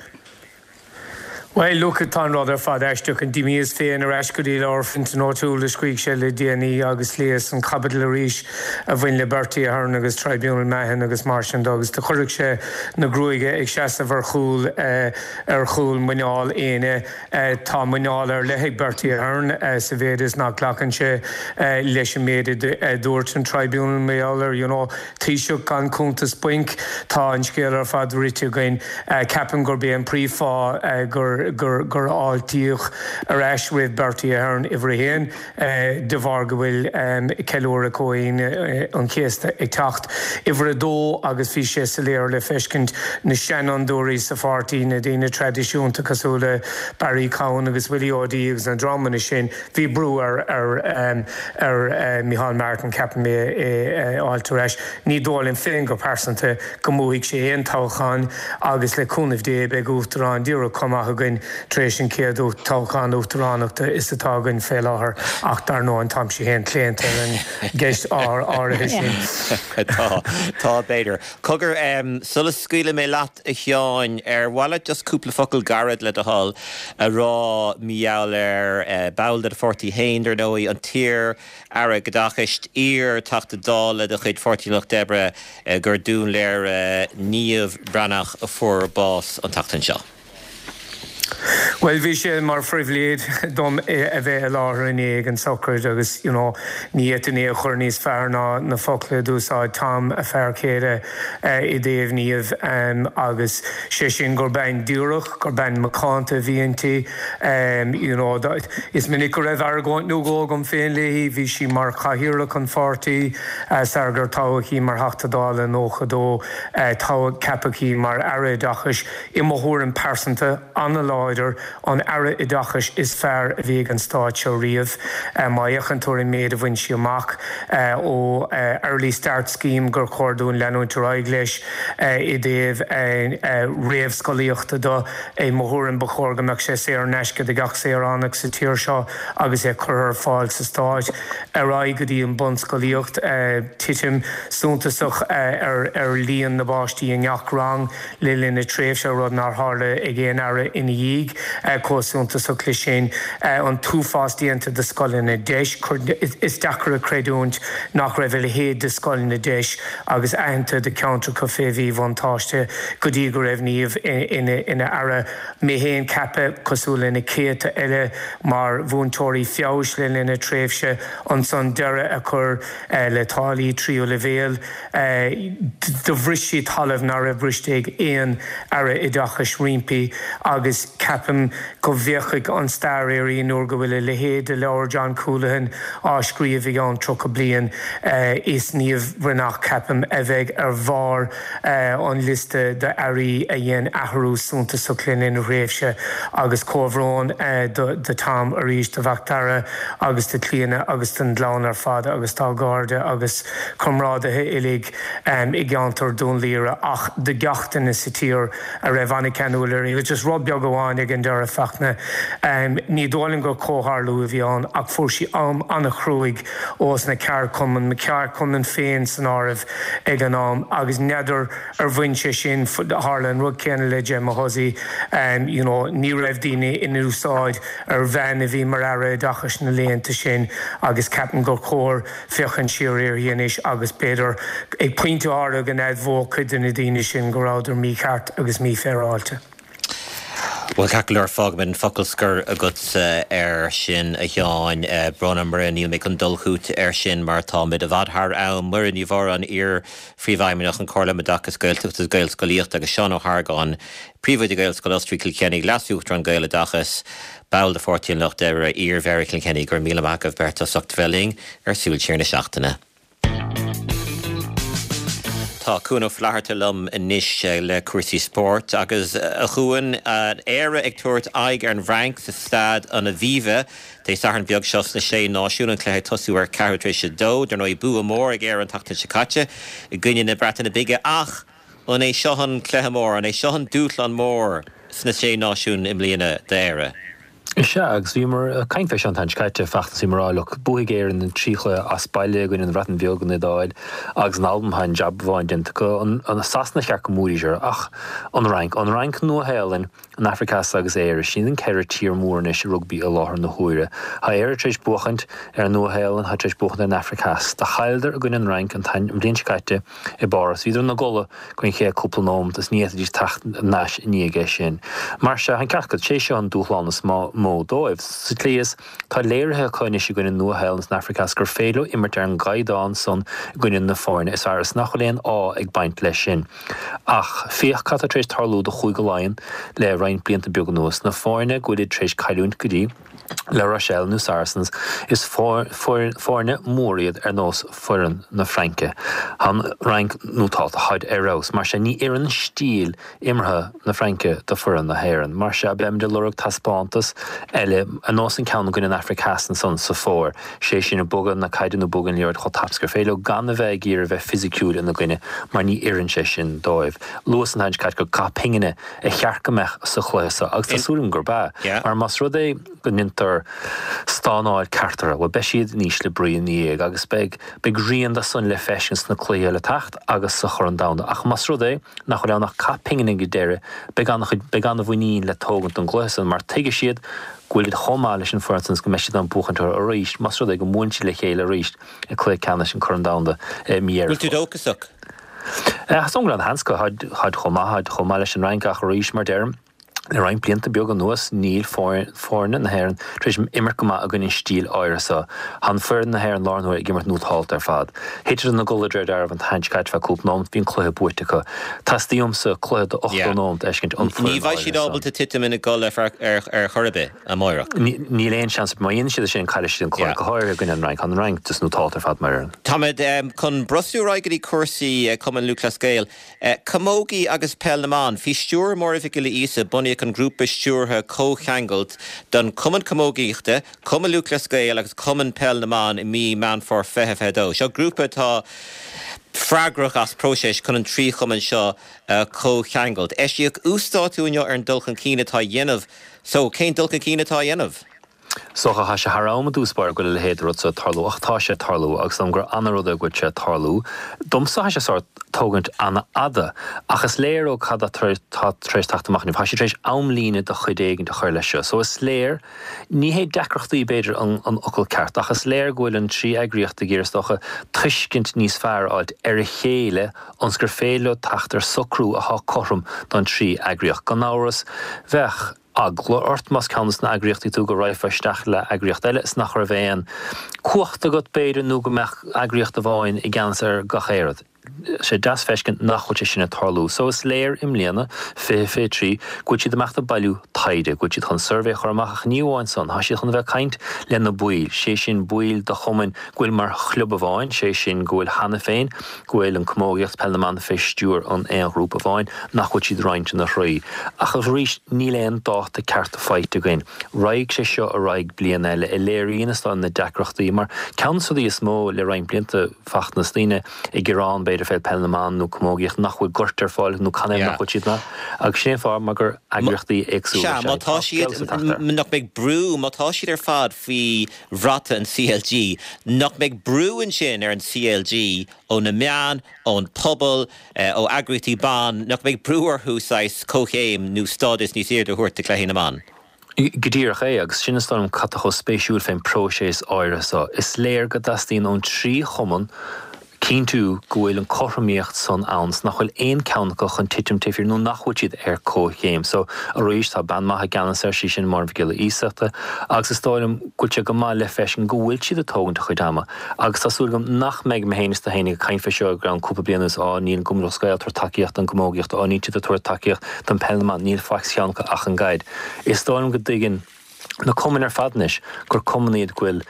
Bhuel, look, tá an rud ar fad aisteach. D'imíos féin ar ais go dtí leabhar Fintan O'Toole a scrígh sé le déanaí agus léas an chaibidil arís a bhain le Bertie Ahern agus Tribunal Mahon agus mar sin de agus do chuirfeadh sé na gruaige ag seasamh ar chúl ar chúl muineál éinne. Tá muineál ar leith ag Bertie Ahern sa mhéid is nach nglacann sé leis an méid a dúirt an Tribunal mar gheall air, you know. Taoiseach gan cuntas bainc. Tá an scéal ar fad rite againn. Ceapaim gurb é an príomhfháth gur gur fháiltíodh ar ais roimh Bertie Ahern uimhir a haon de bharr go bhfuil ceiliúradh Chomhaoine an Chéasta ag teacht. Uimhir a dó agus bhí sé soiléir le feiscint, na seanfhondúirí sa pháirtí, na daoine traidisiúnta cosúil le Barry Cowen agus Willie O'Dea agus na dreamanna sin, Bhí brú ar ar Micheál Martin, ceapaim, é a fháilt ar ais. Ní dóigh liom féin go pearsanta go mbuafaidh sé aon toghchán agus le cúnamh Dé beidh uachtarán díreach chomh maith againn tar éis an chéad toghchán uachtaránachta is atá againn fé láthair ach dar ndóigh táimse féin claonta ar an gceist áirithe sin. Tá, tá b'fhéidir. Cogar, sula scaoilfidh mé leat, A Sheáin, ar mhaith leat just cúpla focal gairid, le do thoil, a rá mar gheall ar ball de do pháirtí féin, dar ndóigh, an t-iar-Aire Oideachais, iar-Teachta Dála de chuid Pháirtí an Lucht Oibre, gur Dún Laoghaire, Niamh Bhreathnach, a fuair bás an tseachtain seo? Bhuel, bhí sé mar phribhléid dom a bheith i láthair inné ag an sochraid agus, you know, ní fhéadfainn é a chur níos fearr ná na focla a d'úsáid Tom, a fear céile, i dtaobh Niamh agus sé sin gur bean díreach, gur bean macánta a bhí inti. You know, is minic go raibh argóint nó dhó agam féin léi, bhí sí mar chathaoirleach an pháirtí sar gur toghadh í mar Theachta Dála i 92, toghadh, ceapadh í mar Aire Oideachais. I mo thuairim pearsanta, an-láidir, an Aire Oideachais is fearr a bhí ag an Stát seo riamh. Má fhéachann tú ar an méid a bhain sí amach, ó Early Start Scheme gur chóir dúinn leanúint ar aghaidh leis i dtaobh réamhscolaíochta de, i mo thuairim ba chóir go mbeadh sé saor in aisce do gach saoránach sa tír seo agus é curtha ar fáil sa Stát. Ar aghaidh go dtí an bunscolaíocht, titim suntasach ar líon na bpáistí i ngach rang. le linn a tréimhse, rud nár tharla ag aon aire ina dhiaidh. Chomh suntasach leis sin, an t-uafás déanta do scoileanna deis. Is deacair a chreidiúint nach raibh a leithéid de scoileanna deis agus aitheanta do cheantracha fé mhíbhuntáiste go dtí go raibh Niamh ina aire. Mé féin ceaptha, cosúil le na céadta eile, mar mhúinteoirí feabhais le linn a tréimhse, ansan deireadh a chur le táillí tríú leibhéal. Do bhris sí talamh nach raibh briste ag aon Aire Oideachais roimpi agus ceapaim go bhféachfaidh an stair uirthi nuair go bhfuil a leithéid de leabhar John Coolahan á scríobh i gceann 30 bliain. Is Niamh Bhreathnach, ceapaim, a bheidh ar bharr an liosta d'airí a dhein athrú suntasach le linn a thréimhse agus comhbhrón do Tom arís, do Mhacdara agus do Chlíona agus don gclann ar fad agus dá gcairde agus comrádaithe uilig i gceantar Dún Laoghaire ach do gach duine sa tír a raibh an-cheanúil uirthi. Agus just rud beag amháin ag an deireadh, Fachtna, ní dóigh liom gur comhtharlú a bhí ann ach fuair sí am an-chruaidh ós na ceardchumainn, mo cheardchumann féin san áireamh ag an am agus n'fheadar ar bhain sé sin, tharla an rud céanna le Gemma Hussey, you know, ní raibh daoine in úsáid ar bhean a bhí mar Aire Oideachais na laethanta sin agus ceapaim gur chóir féachaint siar uirthi anois agus b'fhéidir ag pointe áirithe go n-admhódh cuid de na daoine sin go rabhadar mícheart agus mífhéaráilte. Bhuel, ceart go leor, fágfaimid an focal scoir agatsa air sin, a Sheáin. Brón orm, Muireann, níl mé chun dul chugat air sin mar táimid i bhfad thar am. Muireann Ní Mhóráin, iar-Phríomhfheidhmeannach an Chomhairle um Oideachas Gaeltachta agus Gaelscolaíochta agus Seán Ó hArgáin, Príomhoide Ghaelscoil Osraí Chill Chainnigh, Leas-Uachtarán Gaeloideachas, ball de Pháirtí an Lucht Oibre, iar-Mhéara Chill Chainnigh. Go raibh míle maith agaibh beirt as ucht a bheith linn ar Súil Siar na Seachtaine. Tá Cuan Ó Flatharta liom anois le cúrsaí spóirt agus, a Chuain, Éire ag tabhairt aghaidh ar an bhFrainc sa Staid an Aviva Dé Sathairn beag seo sna Sé Náisiún, an cluiche ag tosú ar ceathrú tar éis a dó. Dar ndóigh, bua mór ag Éire an tseachtain seo caite i gcoinne na Breataine Bige ach an é seo an cluiche mór, an é seo an dúshlán mór sna Sé Náisiún i mbliana d'Éire? Is ea, agus bhíomar ag caint fé seo an tseachtain seo caite, feachtas bhíomar ag rá, look, buafaidh Éirinn an trí chluiche as baile i gcoinne an Bhreatain Bheag, an Iodáil agus an Albain, tá an jab amháin déanta acu, an Sasana cheart go mbuafaidís orthu, ach an Fhrainc, an Fhrainc, Nua Shéalainn, an Afraic Theas agus Éire, sin iad an ceithre tír mór anois i rugbaí i láthair na huaire. Tá Éire tar éis buachaint ar an Nua Shéalainn, tá tar éis buachaint ar an Afraic Theas. Do chailleadar i gcoinne an Fhrainc an bhliain seo caite, I bPáras, bhíodar ina gcodladh don chéad cúpla nóimeat is ní fhéadfaidís teacht thar n-ais i ndiaidh é sin. Mar sea, an ceart agat, sé seo an dúshlán is mó dóibh. Sa tslí is, tá léirithe acu anois i gcoinne Nua Shéalainn is an Afraic Theas gur féidir leo imirt ar an gcaighdeán san i gcoinne na foirne is fearr is nach bhfuil aon ádh ag baint leis sin. Ach féach cad tá tar éis tarlú do Chúige Laighean le roinnt blianta beaga anuas, na foirne go bhfuilid tar éis cailliúint go dtí, La Rochelle nó Saracens, is foirne mór iad ar nós foireann na Fraince. Tá an Fhrainc nótálta, táid ar fheabhas. Mar sin, ní oireann stíl imeartha na Fraince do foireann na hÉireann. Mar sin, beimid ag lorg taispeántas eile ar nós an ceann i gcoinne an Afraic Theas ansan sa fómhar, sé sin ag bogadh na caide nó bogadh an liathróid chomh tapa is gur féidir leo gan a bheith ag iarraidh a bheith fisiciúil ina gcoinne mar ní oireann sé sin dóibh. Luas an tseachtain seo caite gur cath pingine a cheart go mbeadh sa chluiche seo agus tá súil agam gurb ea, mar más rud é go ndeintear stánáil ceart orthu, bhuel, beidh siad in ísle brí ina dhiaidh agus beidh, beidh rian de san le feiscint sna cluichí le teacht agus sa Chorn Domhanda. Ach más rud é nach bhfuil ann ach cath pingine ag an deireadh, beidh an-chuid, beidh an-mhuinín le tógaint don gcluiche san mar tuigfidh siad go bhfuil siad chomh maith leis an bhfoireann san is go mbeidh siad in ann buachaint orthu arís más rud é go mbuaileann siad le chéile arís i gcluiche ceannais an Chorn Domhanda i mí Dheireadh Bhfuil tú dóchasach? Is dóigh liom go bhfuil an-sheans acu, táid chomh maith, táid chomh maith leis an Fhrainc ach arís, mar deirim, le roinnt blianta beaga anuas níl foirne na hÉireann tar éis imirt go maith i gcoinne an stíl áirithe seo. Tá foireann na hÉireann láthair na huaire ag imirt nótálta ar fad. Thiteadar ina gcodladh de réir dealraimh an tseachtain seo caite feadh cúpla nóimeat, bhí an cluiche buaite acu. Teastaíonn uaimse cluiche de 80 nóimeat a fheiscint ón Ní foireann bheidh siad áirithe san. ábalta titim ina gcodladh ar chor ar bith. amárach. Níl aon seans, má dhéanann siad é sin, caillfidh siad an cluiche, go háirithe i gcoinne an Fhrainc. Tá an Fhrainc just nótálta ar fad mar fhoireann. Táimid chun brostú ar aghaidh go dtí cúrsaí Cumann Lúthchleas Gael. Camógaí agus Peil na mBan. Faoi stiúir Máire Mhic Giolla Íosa bunaíodh an grúpa stiúrtha comhcheangailt don Chumann Camógaíochta, Cumann Lúthchleas Gael agus Cumann Peil na mBan i mí Meán Fómhair 2022. Seo grúpa atá freagrach as próiseas chun an trí chumann seo a chomhcheangailt. Eisíodh uasdátú inniu ar an dul chun cinn atá á dhéanamh So, cén dul chun cinn atá á dhéanamh? Is dócha, tá sé thar am i dtús báire go bhfuil a leithéid de rud seo ag tarlú, ach tá sé ag tarlú, agus dóigh liom gur ana-rud é go bhfuil sé ag tarlú. Domsa, tá sé sórt tógaint ana-fhada, ach is léir ó cad atá tar éis teacht amach inniu, tá siad tar éis amlíne de chuid éigint a chur leis seo. So, is léir, ní hé deacrachtaí b'fhéidir an fhocal ceart, ach is léir go bhfuil an trí eagraíocht ag iarraidh, is dócha, tuiscint níos fearr a fháilt ar a chéile ionas gur féidir leo teacht ar socrú athá cothrom don trí eagraíocht. Gan amhras, bheadh eagla ort más ceann de na eagraíochtaí tú go raghfá isteach le eagraíocht eile is nach raibh aon cumhacht agat b'fhéidir nó go mbeadh eagraíocht amháin i gceannas ar gach aon rud. Sé deas feiscint nach bhfuil sé sin ag tarlú. So is léir i mbliana, 2023, go bhfuil siad ag imeacht ag bailiú taighde, go bhfuil siad chun suirbhé a chur amach ach ní amháin san, tá siad chun a bheith ag caint le na baill, sé sin baill de chumainn go bhfuil mar chlub amháin, sé sin go bhfuil cheana féin, go bhfuil an camógaíocht, peil na mban fé stiúir an aon ghrúpa amháin, nach bhfuil siad roinnte ina thrí. Ach arís, níl aon dáta ceart faighte againn. Raghaidh sé seo ar aghaidh bliain eile, a léiríonn is dóigh na deacrachtaí, mar ceann de na rudaí is mó le roinnt blianta, feachtas daoine ag gearán b'fhéidir fé peil na mban nó camógaíocht nach bhfuil goirt ar fáil nó canathaobh nach bhfuil siad ann. Agus sin é an fáth mar gur eagraíochtaí éagsúla Sea, má tá siad, nach mbeidh brú, má tá siad ar fad faoi bhrat an CLG. Nach mbeidh brú ansin ar an CLG ó na meáin, ón pobal, ó eagraíochtaí ban, nach mbeidh brú orthu saghas comhchéim nó stádas níos airde a thabhairt do chluichí na mban? Go díreach é, agus sin is dóigh liom cad tá chomh spéisiúil fén próiseas áirithe seo. Is léir go dteastaíonn ón trí chumann. Cinntiú go bhfuil an cothromaíocht san ann 's nach bhfuil aon ceann acu chun titim taobh thiar nó nach bhfuil siad ar comhchéim. So, arís, tá bean maith i gceannas air, sí sin Máire Mhic Giolla Iasachta, agus is dóigh liom go bhfuil sé go maith le feiscint go bhfuil siad ag tógaint a chuid ama agus tá súil agam nach mbeidh mé féin is tú féin ag caint fé seo i gceann cúpla bliain anuas, á, níl an Cumann Lúthchleas Gael ag tabhairt tacaíocht don gcamógaíocht, á, níl siad ag tabhairt tacaíocht don peil na mban, níl faic sa cheann acu ach an gcaid. Is dóigh liom go dtuigeann. na cumainn ar fad anois gur cumainn iad go bhfuil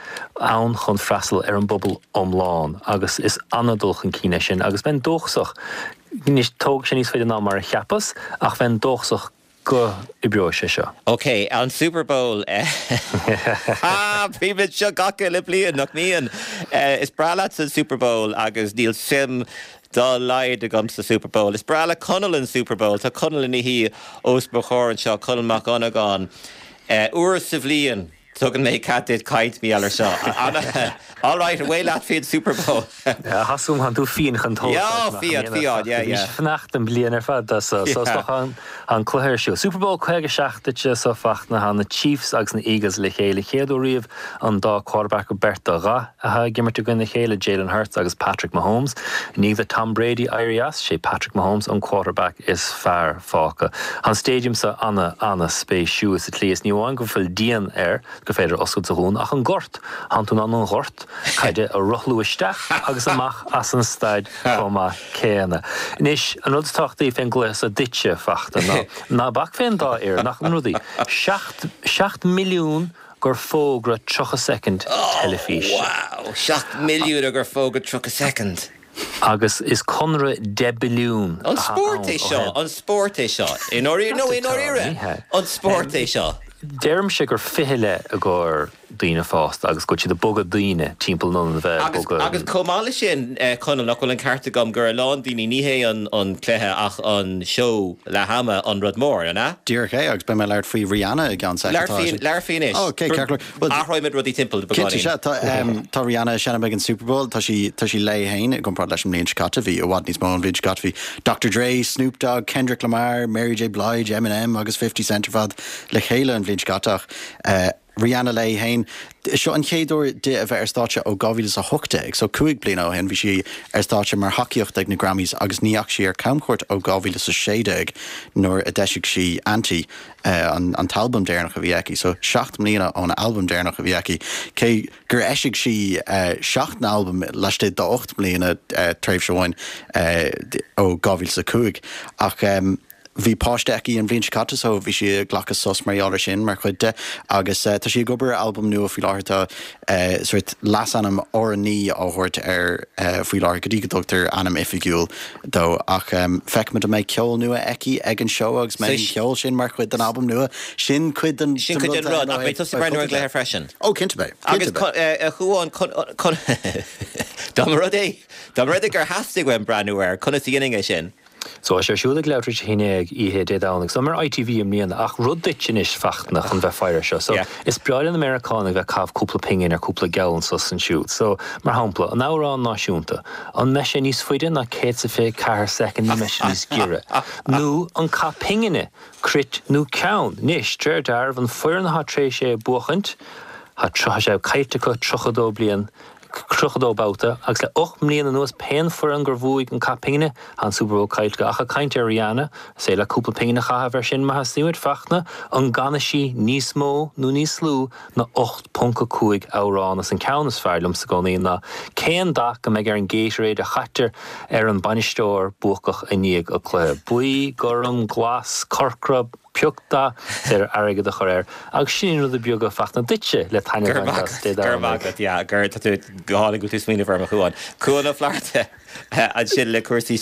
ann chun freastal ar an bpobal iomlán agus is an-dul chun cinn é sin agus bheinn dóchasach, anois tógfaidh sé níos faide ná mar a cheapas ach bheinn dóchasach go oibreoidh sé seo. Ok, an Super Bowl. Ha! Bímid seo gach uile bliain, nach mbíonn? Is breá leatsa an Super Bowl agus níl suim dá laghad agam sa Super Bowl. Is breá le Conall an Super Bowl. Tá Conall ina shuí os mo chomhair anseo, Conall Mac Dhonnagáin. Uair sa bhliain tugann mé cead duit caint mar gheall air seo. All right, away leat faoin Super Bowl. Thá tánn tú fiáin chun tógáil. Yeah, fiáin, fiáin, yeah, yeah. Bhís fanacht an bliain ar fad dó so. So is dócha an cluiche ar siúl. Super Bowl 57 duitse so Fachtna, tá na Chiefs agus na Eagles le chéile. Chéad uair riamh an dá quarterback beirt de dhath atá ag imirt i gcoinne a chéile, Jalen Hurts agus Patrick Mahomes. I ndiaidh do Tom Brady éirí as, sé Patrick Mahomes an quarterback is fearr fágtha. Tá an stadium seo ana, ana spéisiúil sa tslí is ní amháin go bhfuil díon air gur féidir oscailt is a dhúnadh ach an gort, tánn tú in ann an gort caide a rothlú isteach agus amach as an staid chomh maith céanna. Anois, an rud is tábhachtaí fén gcluiche seo duitse, Fachtna, ná ná bac fén dá fhoireann ach na rudaí. 7, 7 milliún gur fógra 30 soicind teilifíse. Wow! 7 milliún gur fógra 30 soicind! Agus is conradh 10 billiún An atá spórt é ann ó seo? thaobh. An spórt é seo? I ndáiríre, no, i ndáiríre! Ní hea. An spórt é seo? Deirimse gur fichille i gcomhair daoine fásta agus go bhfuil siad ag bogadh daoine timpeall in ionad a bheith ag Agus, bogadh. agus chomh maith leis sin, Conall, nach bhfuil an ceart agam gur a lán daoine, ní hé an, an cluiche ach an seó leath ama an rud mór, an ea? Díreach é, agus beidh mé ag labhairt faoi Rihanna i gceann soicind. Labhair faoi, labhair faoi anois. Ó, ok, ceart go leor. Bhuel, Athróidh muid rudaí timpeall beagáinín. Cinnte, sea. Tá, tá Rihanna ag seinm ag an Super Bowl. Tá sí, tá sí léi féin i gcomparáid leis an mbliain seo caite. Bhí i bhfad níos mó an bhliain seo caite. Bhí Dr. Dre, Snoop Dogg, Kendrick Lamar, Mary J. Blige, Eminem agus 50 Cent ar fad le chéile an bhliain seo caite ach eh, Rihanna léi féin. Seo an chéad uair di a bheith ar stáitse ó 2018, so 5 bliana ó shin bhí sí ar stáitse mar thacaíocht ag na Grammys agus ní dheachaigh sí ar camchuairt ó 2016 nuair a d'eisigh sí Anti, an an t-albam deireanach a bhí aici. So 7 mbliana ón albam deireanach a bhí aici. Cé gur eisigh sí 7 n-albam laistigh d'ocht mbliana tréimhse amháin ó 2005 ach Bhí páiste aici an bhliain seo caite so bhí sí ag glacadh sos mar gheall ar sin mar chuid de agus tá sí ag obair ar albam nua faoi láthair. Tá sórt leasainm R9 á thabhairt air faoi láthair go dtí go dtugtar ainm oifigiúil dó ach feicfimid an mbeidh ceol nua aici ag an seó agus mbeidh an ceol sin mar chuid den albam nua. Sin cuid den Sin cuid den rud ach beidh tusa ag breathnú ar an gcluiche freisin. Ó cinnte beidh. Agus a Chuáin dá mba rud é dá mba rud é gur theastaigh uaim breathnú air, conas a dhéanfainn é sin? So, tá sé ar siúl ag leathuair tar éis a 11 oíche Dé Domhnaigh. So, ar ITV i mbliana. Ach rud duit anois, Fachtna, chun bheith faire air seo. So, is breá le na Meiriceánaigh bheith ag caitheamh cúpla pingin ar cúpla geall anso is ansiúd. So, mar shampla, an amhrán náisiúnta, an mbeidh sé níos faide ná 124 soicind nó mbeidh sé níos giorra? Nó an cath pingine, cruit nó ceann? Anois, de réir dealraimh, an foireann atá tar éis é a buachaint, tá sé caillte acu 32 bliain, 32 babhta, agus le 8 mbliana anuas pén foireann gur bhuaigh an cath pingine, tá an Super Bowl caillte acu. Ach ag caint ar Rihanna, is féidir leat cúpla pingin a chaitheamh air sin má theastaíonn uait, Fachtna, an gcanfaidh sí níos mó nó níos lú ná 8.5 amhrán agus an ceann is fearr liomsa i gcónaí ná cén dath go mbeidh ar an Gatorade a chaitear ar an bainisteoir buacach i ndiaidh an cluiche? Buí, gorm, glas, corcra, Pioc dath, is féidir airgead a chur air agus sin rudaí beaga Fachtna duitse le taitneamh a bhaint as Dé Domhnaigh. Go raibh maith agat, yeah, gur, tá tú go hálainn go bhfuil tú ag smaoineamh orm a Chuáin. Cuán Ó Flatharta ansin le cúrsaí,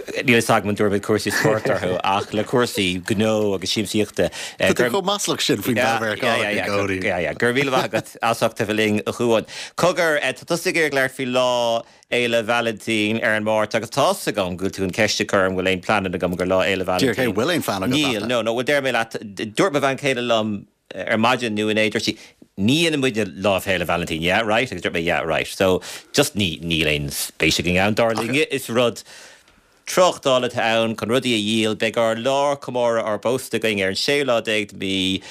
níl a fhios agam an dtabharfaimid cúrsaí spóirt orthu ach le cúrsaí gnó agus siamsaíochta. Tá tú chomh maslach sin faoin bpeil Mheiriceánach i gcónaí. Yeah, yeah, go raibh míle maith agat as ucht a bheith linn a Chuáin. Cogar, tá tusa ag iarraidh labhairt faoi lá Fhéile Vailintín ar an Máirt agus tá's agam go bhfuil tú an ceist a chur an bhfuil aon pleananna agam gur Lá Fhéile Vailintín. Díreach é, bhfuil aon phlean agat? Níl, no, no, bhuel déarfaidh mé leat, dúirt mo bhean chéile liom ar maidin nó inné, dúirt sí, ní dhéanann muidne Lá Fhéile Vailintín, yeah, right? Agus dúirt mé, yeah, right. So, just ní, níl aon spéis againn ann, dar linne, is rud. Tráchtáil atá ann chun rudaí a dhíol. Beidh ár lá comóradh ár bpósta againn ar an séú lá déag de mhí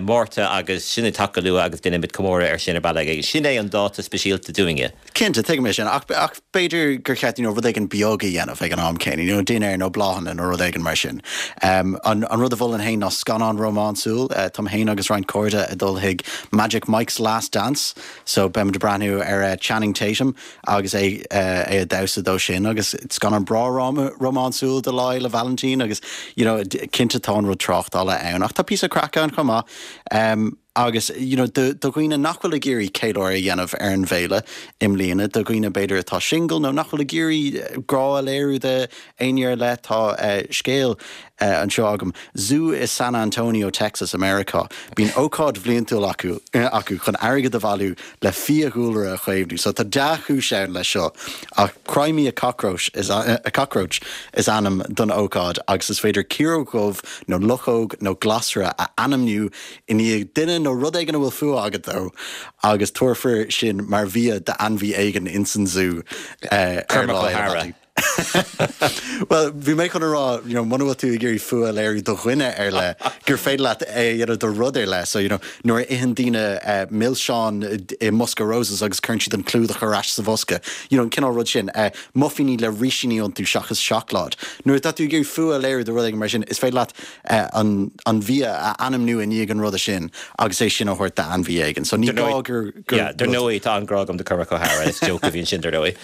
Márta agus sin ag teacht go luath agus déanfaimid comóradh air sin ar bealach éigin. Sin é an dáta speisialta dúinne. Cinnte, tuigim é sin, ach ach b'fhéidir gur cheart you know rud éigin beag a dhéanamh ag an am céanna, you know dinnéar nó bláthanna nó rud éigin mar sin. Um, an an rud a mholfainn féin ná scannán rómánsúil. Uh, táim féin agus roinnt cairde ag dul chuig Magic Mike's Last Dance, so beimid ag breathnú ar uh, Channing Tatum agus é uh, é ag damhsa dó sin agus scannán breá rómánsúil do Lá Fhéile Vailintín agus you know cinnte tá an rud tráchtála ann ach tá píosa craic ann chomh maith. Um, Agus, you know, do dhaoine nach bhfuil ag iarraidh ceiliúradh a dhéanamh ar an bhféile i mbliana, do dhaoine b'fhéidir atá single nó nach bhfuil ag iarraidh grá a léiriú d'éinne ar leith, tá scéal anseo agam. Zú i San Antonio, Texas, i Meiriceá. Bíonn ócáid bhliantúil acu acu chun airgead a bhailiú le fiadhúlra a chaomhnú. So tá dea-chúis ann leis seo. Ach Cry Me a Cockroach is a Cockroach is ainm don ócáid agus is féidir ciaróg dhubh nó luchóg nó glasra a ainmniú i ndiaidh duine nó rud éigin a bhfuil fuath agat dó agus tabharfar sin mar bhia d'ainmhí éigin ins an zú ar Cormac Lá Fhéile O'Hara. Vailintín. Bhuel, bhí mé chun a rá, you know, muna bhfuil tú ag iarraidh fuath a léiriú do dhuine ar leith, gur féidir leat é a dhéanamh do rud ar leith. So, you know, nuair a itheann daoine milseáin i mbosca Roses agus cuireann siad an clúdach ar ais sa bhosca, you know, an cineál rud sin. Muifíní le rísíní iontu seachas seacláid. Nuair atá tú ag iarraidh fuath a léiriú do rud éigin mar sin, is féidir leat an bhia a ainmniú i ndiaidh an ruda sin agus é sin a thabhairt d'ainmhí éigin. So ní gá gur gur Yeah, dar ndóigh, tá an-ghrá agam do Cormac O'Hara, is joke a bhí ansin dar ndóigh.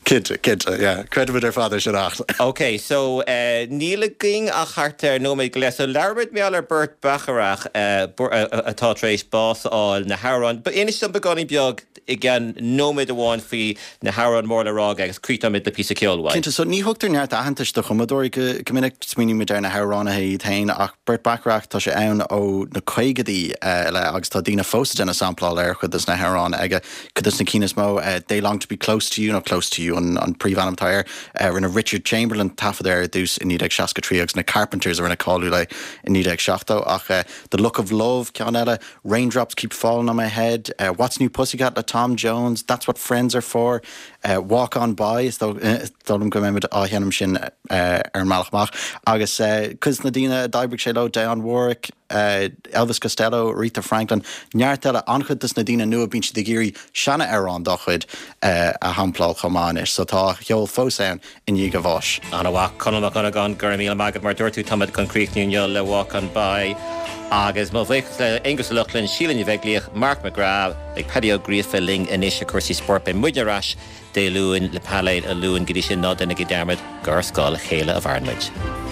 Cinnte, cinnte, yeah. Creidimid ar fad é sin ach. Ok, so níl againn ach thart ar nóiméad go leith, so labhróimid mar gheall ar Burt Bacharach atá tar éis bás a fháil, na hamhráin, inis dom beagáinín beag i gceann nóiméad amháin faoi na hamhráin mór le rá aige agus críochnóimid le píosa ceoil uaidh. Cinnte, so ní thugtar neart aitheantais do chumadóirí go minic, smaoinímid ar na hamhránaithe iad féin, ach Burt Bacharach, tá sé ann ó na caogaidí i leith agus tá daoine fós ag déanamh sampláil ar chuid des na hamhráin aige. Cuid des na cinn is mó, They Long to Be Close to You nó Close to You an príomhainm atá air, rinne Richard Chamberlain taifead air ar dtús i 1963 agus na Carpenters a rinne cáiliúil é i 1970 ach The Look of Love, ceann eile, Raindrops Keep Falling on My Head, What's New Pussycat le Tom Jones, That's What Friends Are For, Walk On By, is dóigh liom go mbeimid á sheinm sin ar an mbealach amach, agus cuid de na daoine a d'oibrigh sé leo, Dionne Warwick, Elvis Costello, Aretha Franklin, neart eile, an-chuid de na daoine nua, bíonn siad ag iarraidh seana-amhráin dá chuid a shampláil chomh maith anois, so tá a cheol fós ann. i ndiaidh a bháis. An-mhaith. Conall Mac Dhonnagáin, go raibh míle maith agat. Mar a dúirt tú, táimid chun críochnú inniu le Walk On By. Agus mo bhuíochas le Aonghus Ó Lochlainn, Síle Ní Bheaglaoich, Mark McGrath, beidh Paddy Ó Gríofa linn anois ar chúrsaí spóirt. Beidh muidne ar ais Dé Luain le painéal an Luain. Go dtí sin, ná déanaigí dearmad gur ar scáth a chéile a mhaireann muid.